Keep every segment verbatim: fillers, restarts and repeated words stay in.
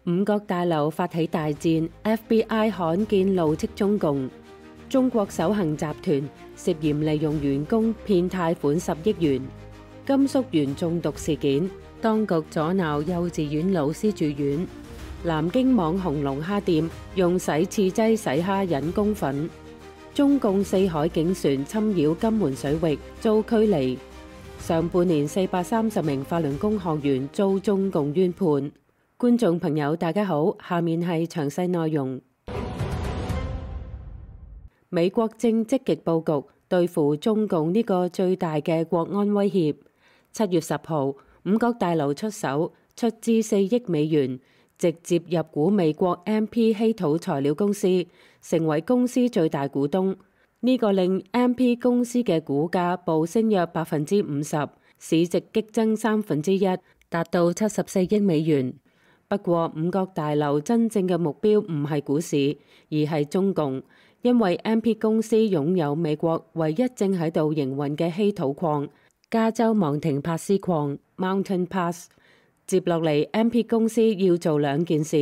五角大樓發起大戰 ，F B I 罕見怒斥中共。中國首行集團涉嫌利用員工騙貸款十億元。甘肅園中毒事件，當局阻撓幼稚園老師住院。南京網紅龍蝦店用洗刺劑洗蝦引公憤。中共四海警船侵擾金門水域遭驅離。上半年四百三十名法輪功學員遭中共冤判。觀眾朋友大家好，下面係詳細內容。美國正積極佈局對付中共呢個最大嘅國安威脅。七月十號，五角大樓出手，出資四億美元，直接入股美國 M P 稀土材料公司，成為公司最大股東。呢個令 M P 公司嘅股價暴升約百分之五十，市值激增三分之一，達到七十四億美元。不過，五角大樓真正嘅目標唔係股市，而係中共，因為 M P 公司擁有美國唯一正喺度營運嘅稀土礦——加州昂廷帕斯礦 （Mountain Pass）。接落嚟 ，M P 公司要做兩件事：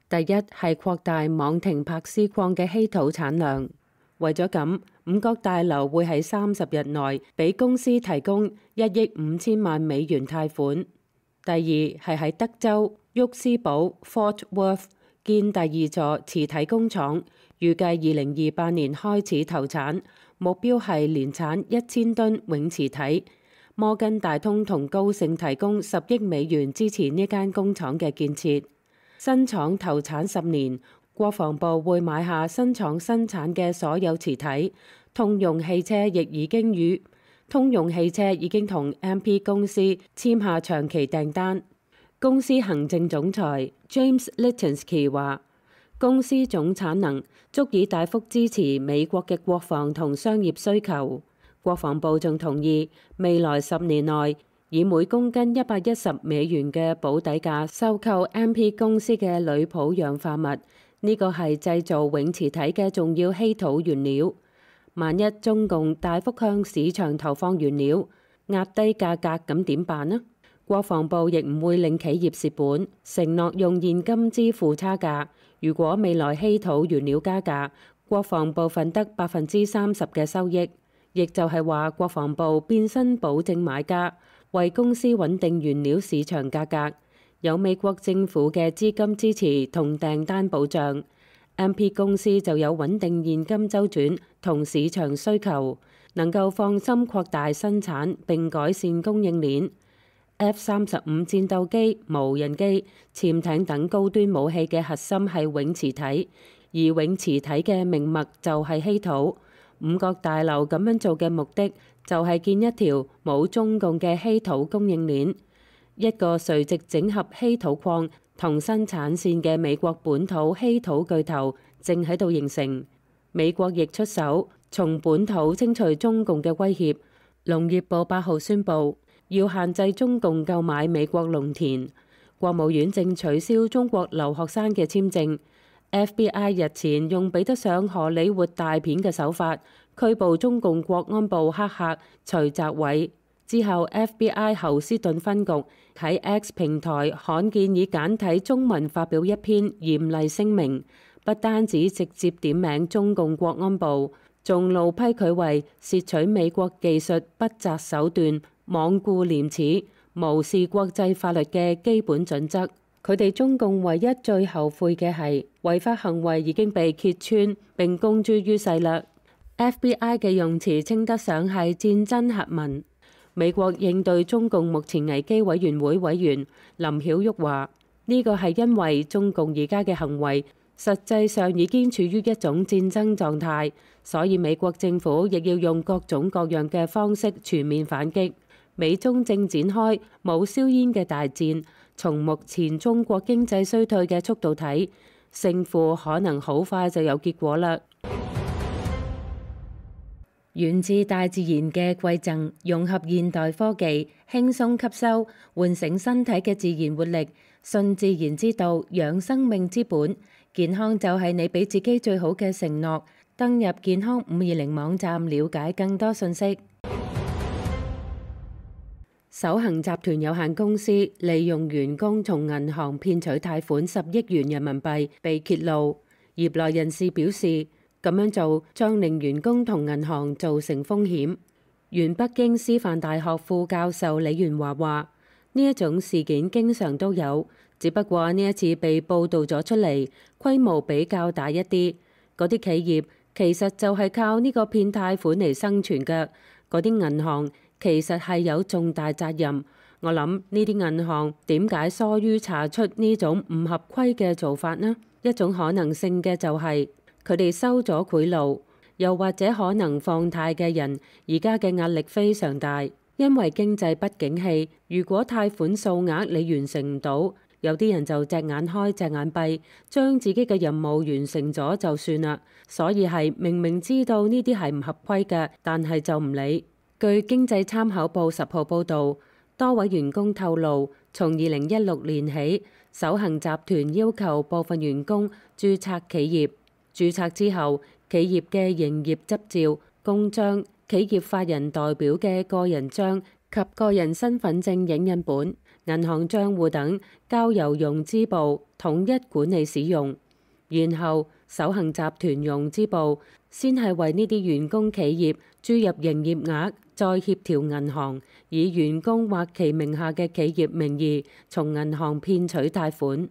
第一係擴大昂廷帕斯礦嘅稀土產量。為咗咁，五角大樓會喺三十日內俾公司提供一億五千萬美元貸款。第二係喺德州沃斯堡 Fort Worth 建第二座磁體工廠，預計二零二八年開始投產，目標係年產一千噸永磁體。摩根大通同高盛提供十億美元支持呢間工廠嘅建設。新廠投產十年，國防部會買下新廠生產嘅所有磁體。通用汽車亦已經與通用汽車已經同 M P 公司簽下長期訂單。公司行政總裁 James Litinsky 話：公司總產能足以大幅支持美國嘅國防同商業需求。國防部仲同意未來十年內以每公斤一百一十美元嘅保底價收購 M P 公司嘅鋁砵氧化物，呢個係製造永磁體嘅重要稀土原料。萬一中共大幅向市場投放原料，壓低價格，咁點辦呢？國防部亦唔會令企業蝕本，承諾用現金支付差價。如果未來稀土原料加價，國防部分得百分之三十嘅收益，亦就係話國防部變身保證買家，為公司穩定原料市場價格，有美國政府嘅資金支持同訂單保障。M P 公司就有穩定現金周轉同市場需求，能夠放心擴大生產並改善供應鏈。F 三十五戰鬥機、無人機、潛艇等高端武器嘅核心係永磁體，而永磁體嘅命脈就係稀土。五角大樓咁樣做嘅目的就係建一條冇中共嘅稀土供應鏈，一個垂直整合稀土礦同生產線嘅美國本土稀土巨頭正喺度形成。美國亦出手，從本土清除中共嘅威脅。農業部八號宣布要限制中共購買美國農田。國務院正取消中國留學生嘅簽證。F B I 日前用比得上荷里活大片嘅手法拘捕中共國安部黑客徐澤偉。之後 F B I 侯斯頓分局喺 X 平台罕見以簡體中文發表一篇嚴厲聲明，不單止直接點名中共國安部，仲怒批佢為竊取美國技術不擇手段、罔顧廉恥、無視國際法律嘅基本準則。佢哋中共唯一最後悔嘅係違法行為已經被揭穿並公諸於世啦。F B I 嘅用詞稱得上係戰爭核文。美國應對中共目前危機委員會委員林曉玉話：呢個係因為中共而家嘅行為實際上已經處於一種戰爭狀態，所以美國政府亦要用各種各樣嘅方式全面反擊。美中正展開冇硝煙嘅大戰，從目前中國經濟衰退嘅速度睇，勝負可能好快就有結果啦。源自大自然嘅饋贈，融合現代科技，輕鬆吸收，喚醒身體嘅自然活力。信自然之道，養生命之本。健康就係你俾自己最好嘅承諾。登入健康五二零網站了解更多信息。首恒集團有限公司利用員工從銀行騙取貸款十億元人民幣被揭露，業內人士表示咁樣做將令員工同銀行造成風險。原北京師範大學副教授李元華話：呢一種事件經常都有，只不過呢一次被報導咗出嚟，規模比較大一啲。嗰啲企業其實就係靠呢個騙貸款嚟生存嘅，嗰啲銀行其實係有重大責任。我諗呢啲銀行點解疏於查出呢種唔合規嘅做法呢？一種可能性嘅就係佢哋收咗賄賂。又或者可能放貸嘅人而家嘅壓力非常大，因為經濟不景氣。如果貸款數額你完成唔到，有啲人就隻眼開隻眼閉，將自己嘅任務完成咗就算啦。所以係明明知道呢啲係唔合規嘅，但係就唔理。據經濟參考報十號報導，多位員工透露，從二零一六年起，首恒集團要求部分員工註冊企業，註冊之後，企業嘅營業執照、公章、企業法人代表嘅個人章及個人身份證影印本、銀行帳戶等交由融資部統一管理使用。然後首恒集團融資部先係為呢啲員工企業注入營業額，再協調銀行以員工或其名下嘅企業名義從銀行騙取貸款。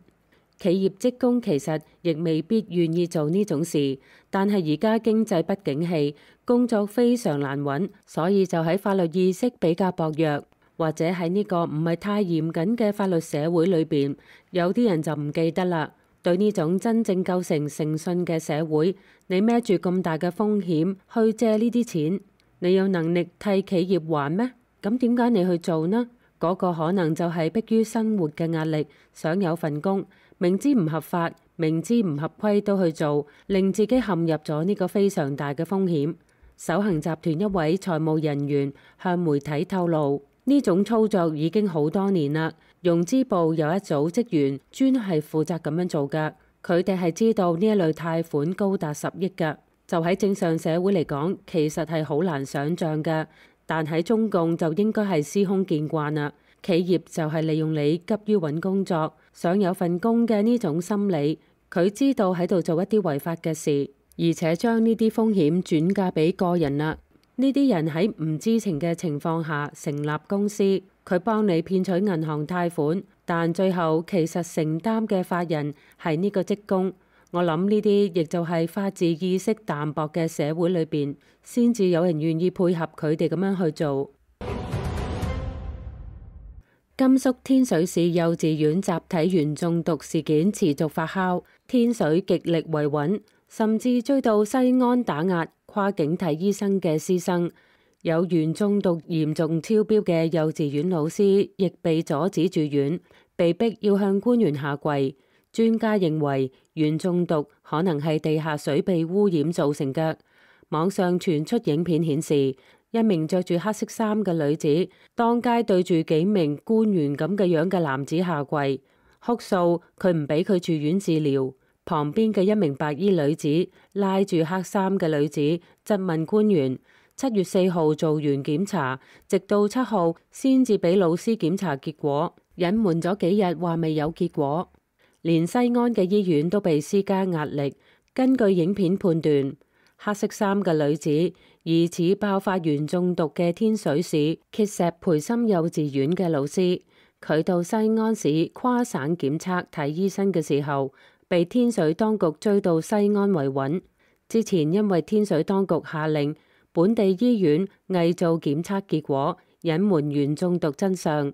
企業職工其實亦未必願意做呢種事，但係而家經濟不景氣，工作非常難揾，所以就喺法律意識比較薄弱，或者喺呢個唔係太嚴謹嘅法律社會裏邊，有啲人就唔記得啦。對呢種真正構成誠信嘅社會，你孭住咁大嘅風險去借呢啲錢，你有能力替企業還咩？咁點解你去做呢？嗰個可能就係迫於生活嘅壓力，想有份工，明知唔合法、明知唔合規都去做，令自己陷入咗呢個非常大嘅風險。首恒集團一位財務人員向媒體透露，呢種操作已經好多年啦。融資部有一組職員專係負責咁樣做㗎，佢哋係知道呢一類貸款高達十億㗎，就喺正常社會嚟講，其實係好難想像㗎。但喺中共就應該係司空見慣啦。企業就係利用你急於揾工作、想有份工嘅呢種心理，佢知道喺度做一啲違法嘅事，而且將呢啲風險轉嫁俾個人啦。呢啲人喺唔知情嘅情況下成立公司，佢幫你騙取銀行貸款，但最後其實承擔嘅法人係呢個職工。我諗呢啲亦就係法治意識淡薄嘅社會裏邊，先至有人願意配合佢哋咁樣去做。甘肅天水市幼稚園集體鉛中毒事件持續發酵，天水極力維穩，甚至追到西安打壓跨境睇醫生嘅師生。有鉛中毒嚴重超標嘅幼稚園老師亦被阻止住院，被逼要向官員下跪。專家認為鉛中毒可能係地下水被污染造成嘅。網上傳出影片顯示，一名着住黑色衫嘅女子當街對住幾名官員咁嘅樣嘅男子下跪，哭訴佢唔俾佢住院治療。旁邊嘅一名白衣女子拉住黑衫嘅女子質問官員，七月四號做完檢查，直到七號先至俾老師檢查結果，隱瞞咗幾日話未有結果。連西安嘅醫院都被施加壓力。根據影片判斷，黑色衫嘅女子疑似爆發鉛中毒嘅天水市碣石培心幼稚園嘅老師。佢到西安市跨省檢測睇醫生嘅時候，被天水當局追到西安維穩。之前因為天水當局下令本地醫院偽造檢測結果，隱瞞鉛中毒真相。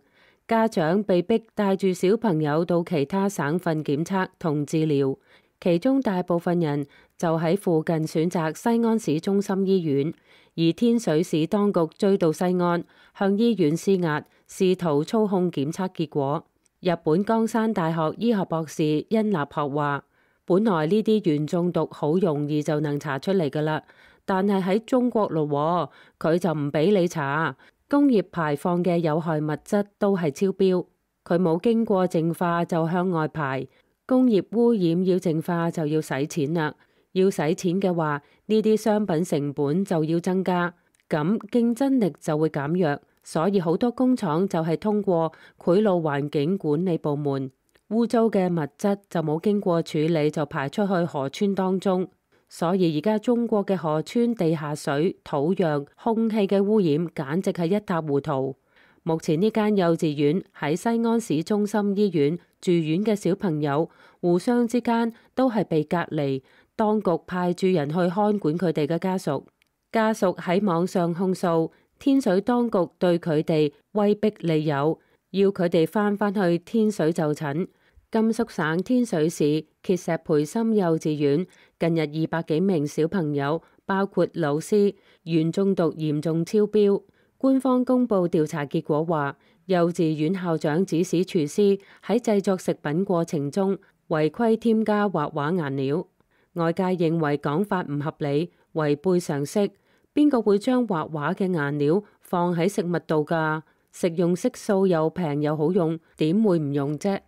家長被逼帶住小朋友到其他省份檢測同治療，其中大部分人就喺附近選擇西安市中心醫院，而天水市當局追到西安，向醫院施壓，試圖操控檢測結果。日本江山大學醫學博士殷立學話，本來呢啲鉛中毒好容易就能查出嚟㗎喇，但係喺中國咯，佢就唔俾你查。工業排放嘅有害物質都係超標，佢冇經過淨化就向外排。工業污染要淨化就要使錢啦，要使錢嘅話，呢啲商品成本就要增加，咁競爭力就會減弱，所以好多工廠就係通過賄賂環境管理部門，污糟嘅物質就冇經過處理就排出去河川當中。所以而家中國嘅河川地下水、土壤、空氣嘅污染簡直係一塌糊塗。目前呢間幼稚園喺西安市中心醫院住院嘅小朋友，互相之間都係被隔離，當局派駐人去看管佢哋嘅家屬。家屬喺網上控訴天水當局對佢哋威逼利誘，要佢哋翻返去天水就診。甘肅省天水市碣石培心幼稚園近日二百幾名小朋友，包括老師，鉛中毒嚴重超標。官方公布調查結果話，幼稚園校長指使廚師喺製作食品過程中違規添加畫畫顏料。外界認為講法唔合理，違背常識。邊個會將畫畫嘅顏料放喺食物度㗎？食用色素又平又好用，點會唔用啫？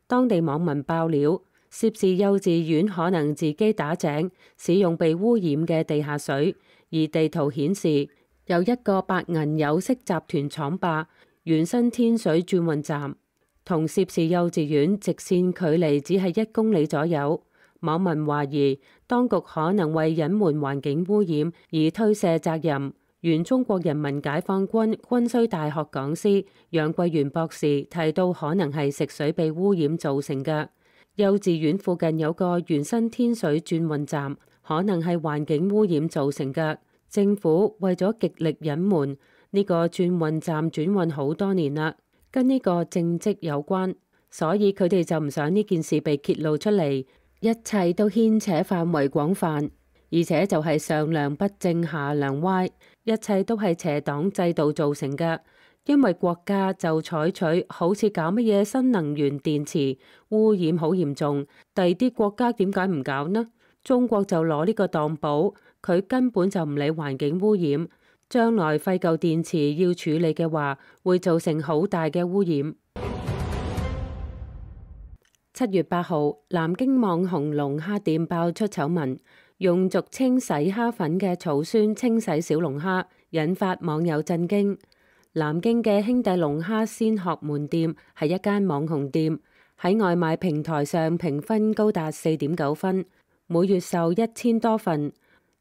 當地網民爆料，涉事幼稚園可能自己打井，使用被污染嘅地下水，而地圖顯示有一個白銀有色集團廠壩原生天水轉運站，同涉事幼稚園直線距離只係一公里左右。網民懷疑當局可能為隱瞞環境污染而推卸責任。原中國人民解放軍軍需大學講師楊桂元博士提到，可能係食水被污染造成嘅。幼稚園附近有個原生天水轉運站，可能係環境污染造成嘅。政府為咗極力隱瞞，呢個轉運站轉運好多年啦，跟呢個政績有關，所以佢哋就唔想呢件事被揭露出嚟。一切都牽扯範圍廣泛，而且就係上梁不正下梁歪，一切都係邪黨制度造成嘅。因為國家就採取好似搞乜嘢新能源電池，污染好嚴重，第二啲國家點解唔搞呢？中國就攞呢個當寶，佢根本就唔理環境污染，將來廢舊電池要處理嘅話，會造成好大嘅污染。七月八號，南京網紅龍蝦店爆出醜聞，用俗稱洗蝦粉嘅草酸清洗小龍蝦，引發網友震驚。南京嘅兄弟龍蝦鮮學門店係一間網紅店，喺外賣平台上評分高達四點九分，每月售一千多份。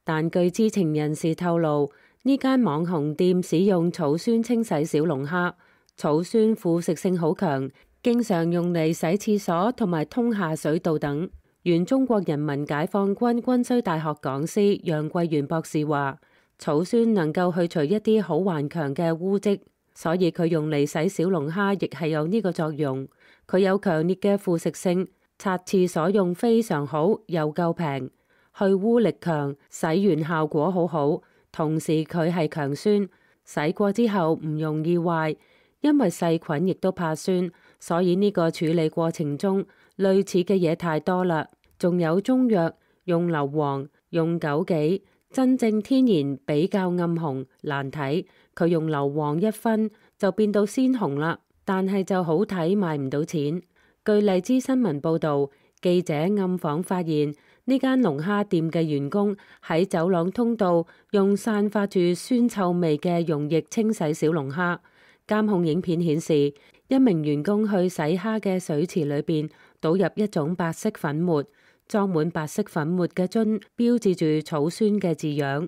但據知情人士透露，呢間網紅店使用草酸清洗小龍蝦，草酸腐蝕性好強，經常用嚟洗廁所同埋通下水道等。原中國人民解放軍軍需大學講師楊桂元博士話，草酸能夠去除一啲好頑強嘅污漬，所以佢用嚟洗小龍蝦亦係有呢個作用。佢有強烈嘅腐蝕性，擦廁所用非常好，又夠平，去污力強，洗完效果好好。同時佢係強酸，洗過之後唔容易壞，因為細菌亦都怕酸，所以呢個處理過程中類似嘅嘢太多啦。仲有中藥，用硫磺，用枸杞。真正天然比較暗紅難睇，佢用硫磺一分就變到鮮紅啦，但係就好睇，賣唔到錢。據荔枝新聞報道，記者暗訪發現呢間龍蝦店嘅員工喺走廊通道用散發住酸臭味嘅溶液清洗小龍蝦。監控影片顯示，一名員工去洗蝦嘅水池裏邊倒入一種白色粉末。裝滿白色粉末嘅樽標誌住草酸嘅字樣。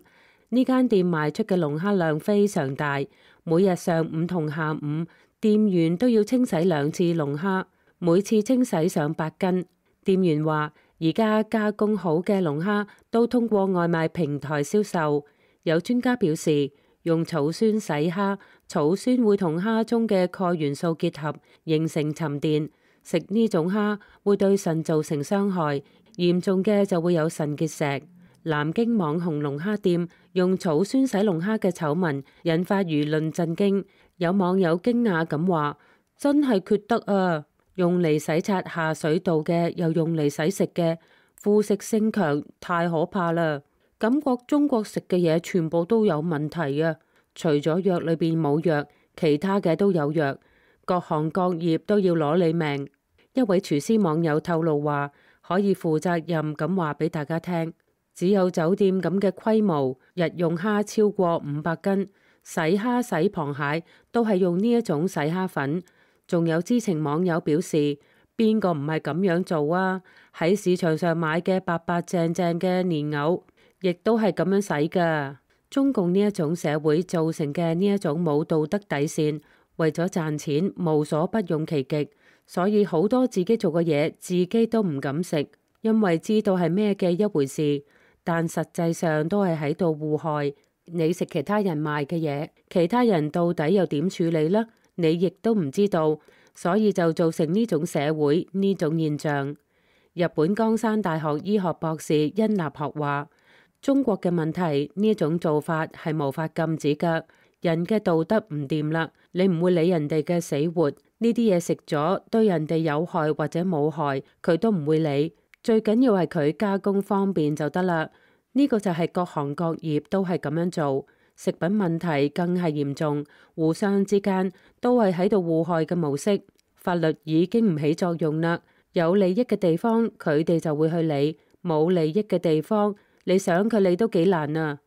呢間店賣出嘅龍蝦量非常大，每日上午同下午，店員都要清洗兩次龍蝦，每次清洗上百斤。店員話，而家加工好嘅龍蝦都通過外賣平台銷售。有專家表示，用草酸洗蝦，草酸會同蝦中嘅鈣元素結合，形成沉澱，食呢種蝦會對腎造成傷害。嚴重嘅就會有腎結石。南京網紅龍蝦店用草酸洗龍蝦嘅醜聞引發輿論震驚，有網友驚訝咁話：真係缺德啊！用嚟洗刷下水道嘅，又用嚟洗食嘅，腐蝕性強，太可怕啦！感覺中國食嘅嘢全部都有問題啊！除咗藥裏邊冇藥，其他嘅都有藥，各行各業都要攞你命。一位廚師網友透露話，可以負責任咁話俾大家聽，只有酒店咁嘅規模，日用蝦超過五百斤，洗蝦洗螃蟹都係用呢一種洗蝦粉。仲有知情網友表示，邊個唔係咁樣做啊？喺市場上買嘅白白淨淨嘅蓮藕，亦都係咁樣洗㗎。中共呢一種社會造成嘅呢一種冇道德底線，為咗賺錢無所不用其極，所以好多自己做嘅嘢自己都唔敢食，因為知道係咩嘅一回事，但實際上都係喺度禍害。你食其他人賣嘅嘢，其他人到底又點處理呢？你亦都唔知道，所以就造成呢種社會呢種現象。日本江山大學醫學博士殷立學話：中國嘅問題呢種做法係無法禁止㗎，人嘅道德唔掂啦，你唔會理人哋嘅死活，呢啲嘢食咗對人哋有害或者冇害，佢都唔會理，最緊要係佢加工方便就得啦。呢個就係各行各業都係咁樣做。食品問題更係嚴重，互相之間都係喺度互害嘅模式。法律已經唔起作用啦，有利益嘅地方佢哋就會去理，冇利益嘅地方你想佢理都幾難啊。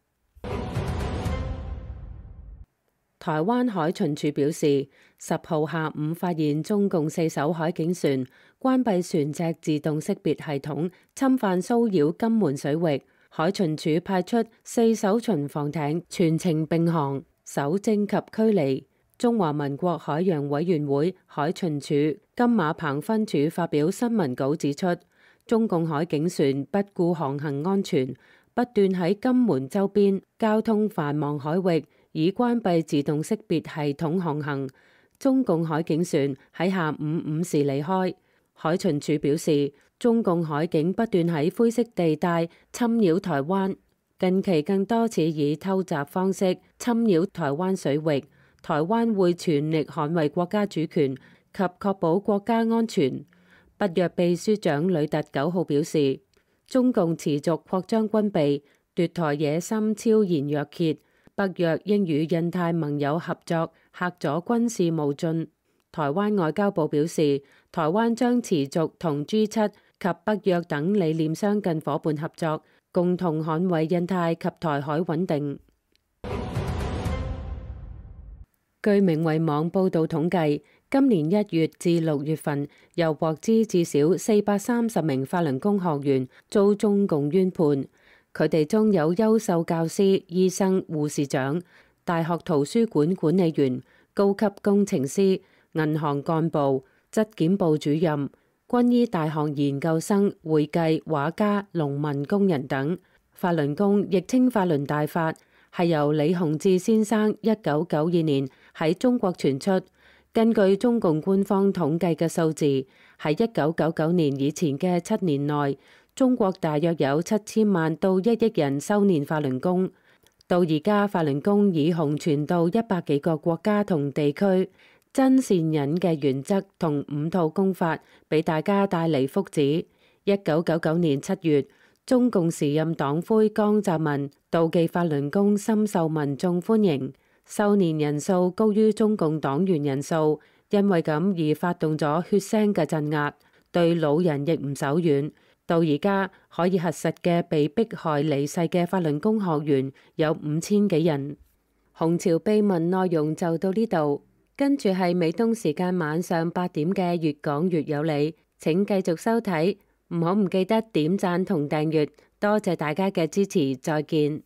台灣海巡署表示，十號下午發現中共四艘海警船關閉船隻自動識別系統，侵犯騷擾金門水域。海巡署派出四艘巡防艇全程並航，搜證及驅離。中華民國海洋委員會海巡署金馬棚分署發表新聞稿指出，中共海警船不顧航行安全，不斷喺金門周邊交通繁忙海域以關閉自動識別系統航行。中共海警船喺下午五時離開。海巡署表示，中共海警不斷喺灰色地帶侵擾台灣，近期更多次以偷襲方式侵擾台灣水域。台灣會全力捍衛國家主權及確保國家安全。北約秘書長呂特九號表示，中共持續擴張軍備，奪台野心超然若揭，北約應與印太盟友合作，嚇阻軍事冒進。台灣外交部表示，台灣將持續同 G 七及北約等理念相近夥伴合作，共同捍衛印太及台海穩定。據明慧網報導統計，今年一月至六月份，又獲知至少四百三十名法輪功學員遭中共冤判，佢哋中有優秀教師、醫生、護士長、大學圖書館管理員、高級工程師、銀行幹部、質檢部主任、軍醫大學研究生、會計、畫家、農民工人等。法輪功亦稱法輪大法，係由李洪志先生一九九二年喺中國傳出。根據中共官方統計嘅數字，喺一九九九年以前嘅七年內，中國大約有七千萬到一億人修煉法輪功。到而家，法輪功已紅傳到一百幾個國家同地區。真善忍嘅原則同五套功法，俾大家帶嚟福祉。一九九九年七月，中共時任黨魁江澤民妒忌法輪功深受民眾歡迎，修煉人數高於中共黨員人數，因為咁而發動咗血腥嘅鎮壓，對老人亦唔手軟。到而家可以核實嘅被迫害離世嘅法輪功學員有五千幾人。紅潮秘聞內容就到呢度。跟住係美東時間晚上八點嘅越講越有理，請繼續收睇，唔好唔記得點讚同訂閱，多謝大家嘅支持，再見。